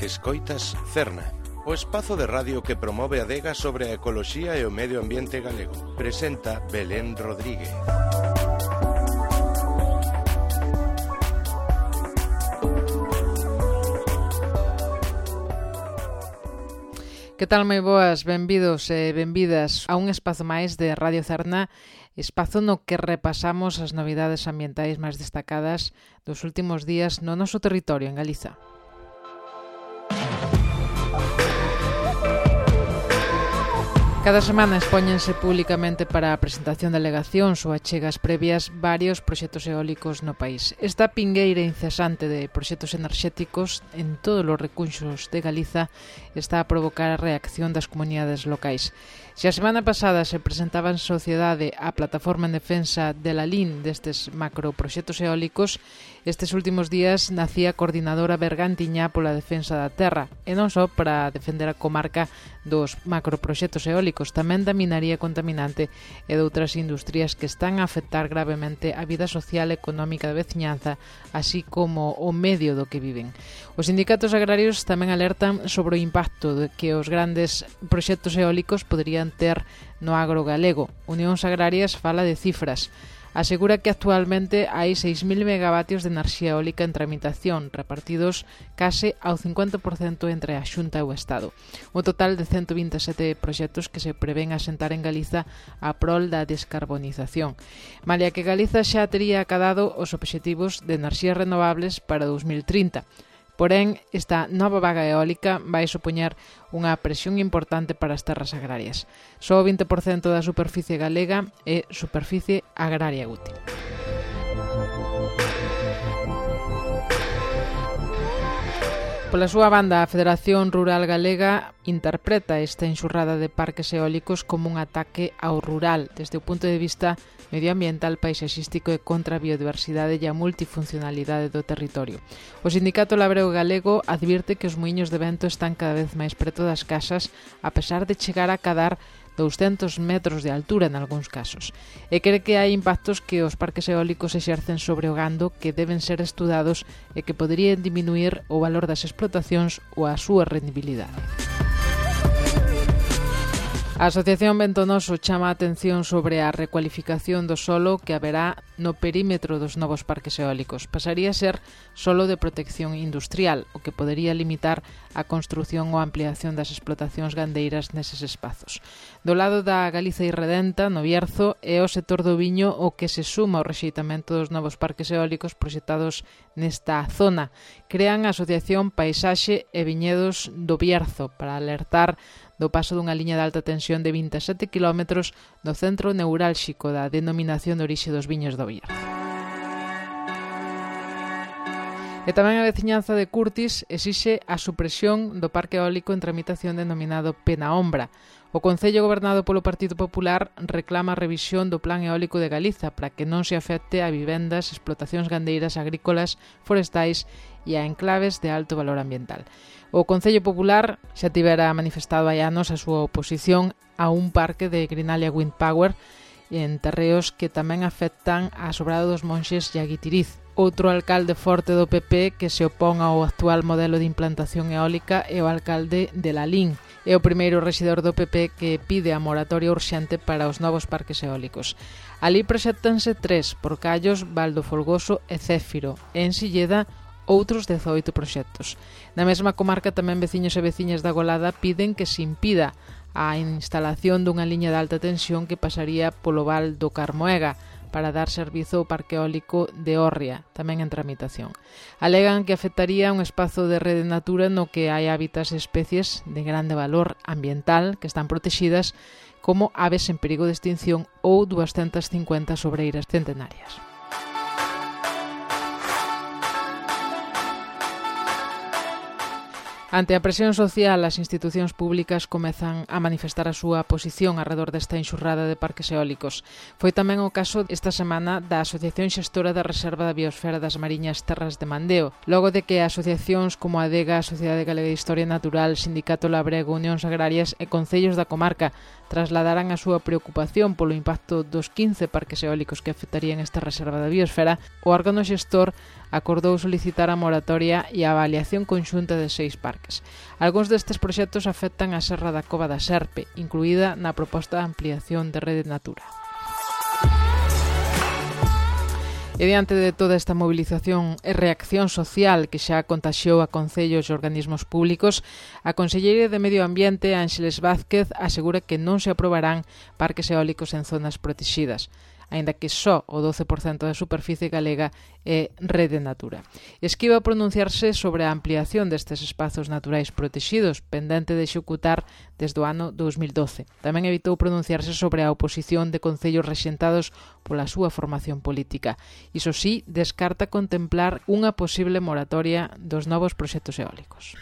Escoitas Cerna, o espazo de radio que promove a adega sobre a ecoloxía e o medio ambiente galego. Presenta Belén Rodríguez. Que tal, moi boas, benvidos e benvidas a un espazo máis de Radio Cerna, espazo no que repasamos as novidades ambientais máis destacadas dos últimos días no noso territorio en Galiza. Cada semana expóñense públicamente para a presentación de alegacións ou achegas previas varios proxectos eólicos no país. Esta pingueira incesante de proxectos enerxéticos en todos os recunxos de Galiza está a provocar a reacción das comunidades locais. Se a semana pasada se presentaba en sociedade a plataforma en defensa de la LIN destes macroproxectos eólicos, estes últimos días nacía a coordinadora bergantiñá pola defensa da terra, e non só para defender a comarca dos macroproxectos eólicos, tamén da minaría contaminante e de outras industrias que están a afectar gravemente a vida social e económica da veciñanza, así como o medio do que viven. Os sindicatos agrarios tamén alertan sobre o impacto que os grandes proxectos eólicos poderían ter no agro galego. Unións Agrarias fala de cifras. Asegura que actualmente hai 6.000 megavatios de enerxía eólica en tramitación, repartidos case ao 50% entre a Xunta e o Estado. Un total de 127 proxectos que se prevén asentar en Galiza a prol da descarbonización. Malia que Galiza xa tería acadado os obxectivos de enerxías renovables para 2030. Porén, esta nova vaga eólica vai supoñer unha presión importante para as terras agrarias. Só o 20% da superficie galega é superficie agraria útil. Pola súa banda, a Federación Rural Galega interpreta esta enxurrada de parques eólicos como un ataque ao rural desde o punto de vista medioambiental, paisaxístico e contra a biodiversidade e a multifuncionalidade do territorio. O Sindicato Labrego Galego advirte que os muiños de vento están cada vez máis preto das casas, a pesar de chegar a cadar 200 metros de altura en algúns casos, e cree que hai impactos que os parques eólicos exercen sobre o gando que deben ser estudados e que poderían diminuir o valor das explotacións ou a súa rendibilidade. A Asociación Ventonoso chama a atención sobre a recualificación do solo que haberá no perímetro dos novos parques eólicos. Pasaría a ser solo de protección industrial, o que podería limitar a construción ou ampliación das explotacións gandeiras neses espazos. Do lado da Galiza irredenta, no Bierzo, é o sector do viño o que se suma ao rexeitamento dos novos parques eólicos proxectados nesta zona. Crean a Asociación Paisaxe e Viñedos do Bierzo para alertar do paso dunha liña de alta tensión de 27 km no centro neurálxico da denominación de orixe dos viños do Bierzo. E tamén a veciñanza de Curtis exixe a supresión do parque eólico en tramitación denominado Penaombra. O Concello gobernado polo Partido Popular reclama a revisión do Plan Eólico de Galiza para que non se afecte a vivendas, explotacións gandeiras, agrícolas, forestais e a enclaves de alto valor ambiental. O Concello Popular xa tivera manifestado hai anos a súa oposición a un parque de Grinalia Wind Power en terreos que tamén afectan a Sobrado dos Monxes e a Guitiriz. Outro alcalde forte do PP que se opón ao actual modelo de implantación eólica é o alcalde de Lalín. É o primeiro rexedor do PP que pide a moratoria urxente para os novos parques eólicos. Alí proxectanse 3, Porcallos, Valdo Folgoso e Céfiro, e en Silleda outros 18 proxectos. Na mesma comarca tamén veciños e veciñas da Golada piden que se impida a instalación dunha liña de alta tensión que pasaría polo val do Carmoega para dar servizo ao parque eólico de Órria, tamén en tramitación. Alegan que afectaría un espazo de rede natura no que hai hábitats e especies de grande valor ambiental que están protegidas, como aves en perigo de extinción ou 250 sobreiras centenarias. Ante a presión social, as institucións públicas comezan a manifestar a súa posición arredor desta enxurrada de parques eólicos. Foi tamén o caso esta semana da Asociación Xestora da Reserva da Biosfera das Mariñas Terras de Mandeo, logo de que asociacións como a ADEGA, a Sociedade Galega de Historia Natural, Sindicato Labrego, Unións Agrarias e concellos da comarca trasladaran a súa preocupación polo impacto dos 15 parques eólicos que afectarían esta reserva da biosfera. O órgano xestor acordou solicitar a moratoria e a avaliación conxunta de 6 parques. parques. Algúns destes proxectos afectan a Serra da Cova da Serpe, incluída na proposta de ampliación de Rede Natura. E diante de toda esta movilización e reacción social que xa contaxiou a concellos e organismos públicos, a Conselleira de Medio Ambiente, Ángeles Vázquez, asegura que non se aprobarán parques eólicos en zonas protegidas, aínda que só o 12% da superficie galega é Rede Natura. Esquiva pronunciarse sobre a ampliación destes espazos naturais protegidos, pendente de executar desde o ano 2012. Tamén evitou pronunciarse sobre a oposición de concellos rexentados pola súa formación política. Iso sí, descarta contemplar unha posible moratoria dos novos proxectos eólicos.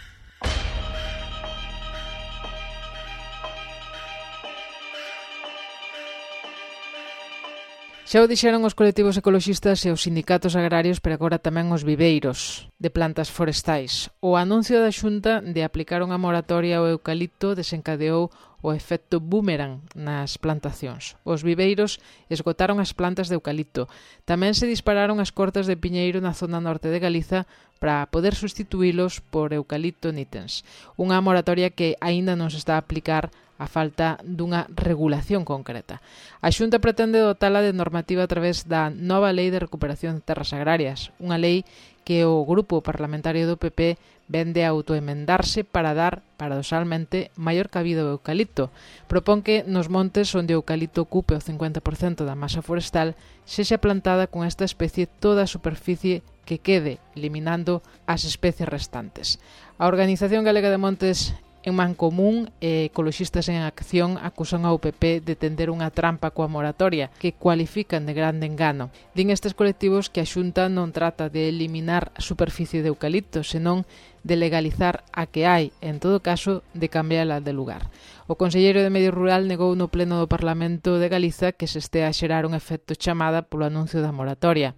Xa o dixeron os colectivos ecoloxistas e os sindicatos agrarios, pero agora tamén os viveiros de plantas forestais. O anuncio da Xunta de aplicar unha moratoria ao eucalipto desencadeou o efecto boomerang nas plantacións. Os viveiros esgotaron as plantas de eucalipto. Tamén se dispararon as cortas de piñeiro na zona norte de Galiza para poder sustituílos por eucalipto nitens. Unha moratoria que aínda non se está a aplicar a falta dunha regulación concreta. A Xunta pretende dotala de normativa a través da nova Lei de Recuperación de Terras Agrarias, unha lei que o grupo parlamentario do PP vende a autoemendarse para dar, paradoxalmente, maior cabida ao eucalipto. Propón que nos montes onde o eucalipto ocupe o 50% da masa forestal sexa plantada con esta especie toda a superficie que quede, eliminando as especies restantes. A Organización Galega de Montes En Mancomún e Ecoloxistas en Acción acusan ao PP de tender unha trampa coa moratoria, que cualifican de grande engano. Din estes colectivos que a Xunta non trata de eliminar a superficie de eucalipto, senón de legalizar a que hai, en todo caso, de cambiala de lugar. O conselleiro de Medio Rural negou no pleno do Parlamento de Galiza que se estea a xerar un efecto chamada polo anuncio da moratoria.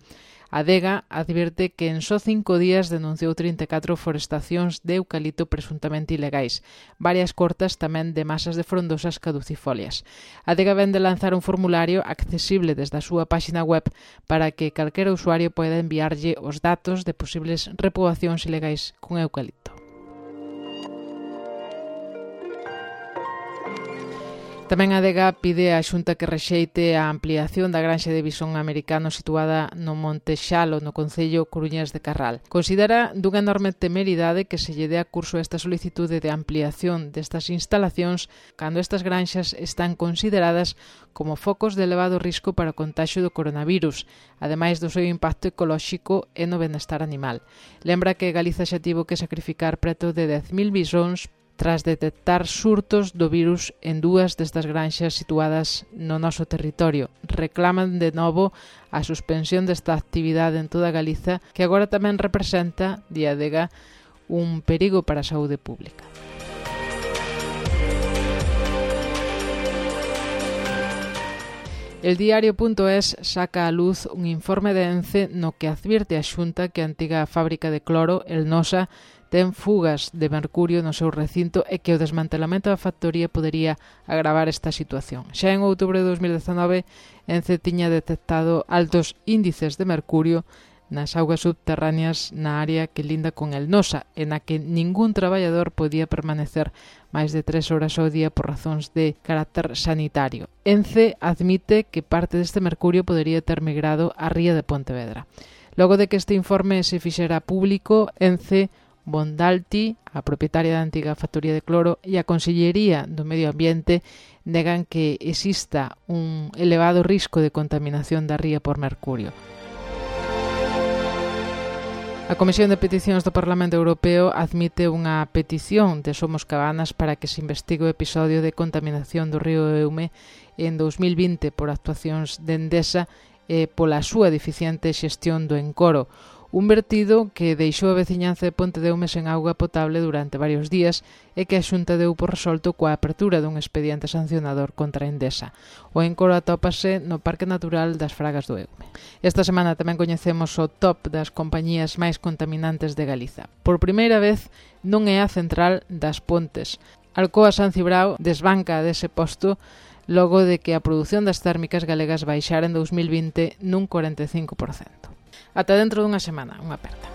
A Adega advirte que en só 5 días denunciou 34 forestacións de eucalipto presuntamente ilegais, varias cortas tamén de masas de frondosas caducifolias. A Adega vende lanzar un formulario accesible desde a súa páxina web para que calquera usuario poida enviarlle os datos de posibles repoboacións ilegais con eucalipto. Tamén a Adega pide á Xunta que rexeite a ampliación da granxa de visón americano situada no Monte Xalo, no concello coruñés de Carral. Considera dunha enorme temeridade que se lle dea curso a esta solicitude de ampliación destas instalacións cando estas granxas están consideradas como focos de elevado risco para o contaxio do coronavirus, ademais do seu impacto ecolóxico e no benestar animal. Lembra que Galiza xa tivo que sacrificar preto de 10.000 bisóns tras detectar surtos do virus en 2 destas granxas situadas no noso territorio. Reclaman de novo a suspensión desta actividade en toda Galiza, que agora tamén representa, di a Adega, un perigo para a saúde pública. El diario.es saca a luz un informe de ENCE no que advirte a Xunta que a antiga fábrica de cloro, el Nosa, ten fugas de mercurio no seu recinto e que o desmantelamento da factoría podería agravar esta situación. Xa en outubro de 2019, ENCE tiña detectado altos índices de mercurio nas augas subterráneas na área que linda con el Nosa, en a que ningún traballador podía permanecer máis de 3 horas ao día por razóns de carácter sanitario. ENCE admite que parte deste mercurio podería ter migrado á ría de Pontevedra. Logo de que este informe se fixera público, ENCE, Bondalti, a propietaria da antiga factoría de cloro, e a Consellería do Medio Ambiente negan que exista un elevado risco de contaminación da ría por mercurio. A Comisión de Peticións do Parlamento Europeo admite unha petición de Somos Cabanas para que se investigue o episodio de contaminación do río Eume en 2020 por actuacións de Endesa e pola súa deficiente xestión do encoro. Un vertido que deixou a veciñanza de Ponte de Eume sen auga potable durante varios días e que a Xunta deu por resolto coa apertura dun expediente sancionador contra Endesa. O encoro atópase no Parque Natural das Fragas do Eume. Esta semana tamén coñecemos o top das compañías máis contaminantes de Galiza. Por primeira vez non é a central das Pontes. Alcoa San Cibrao desbanca dese posto logo de que a produción das térmicas galegas baixara en 2020 nun 45%. Ata dentro dunha semana, unha aperta.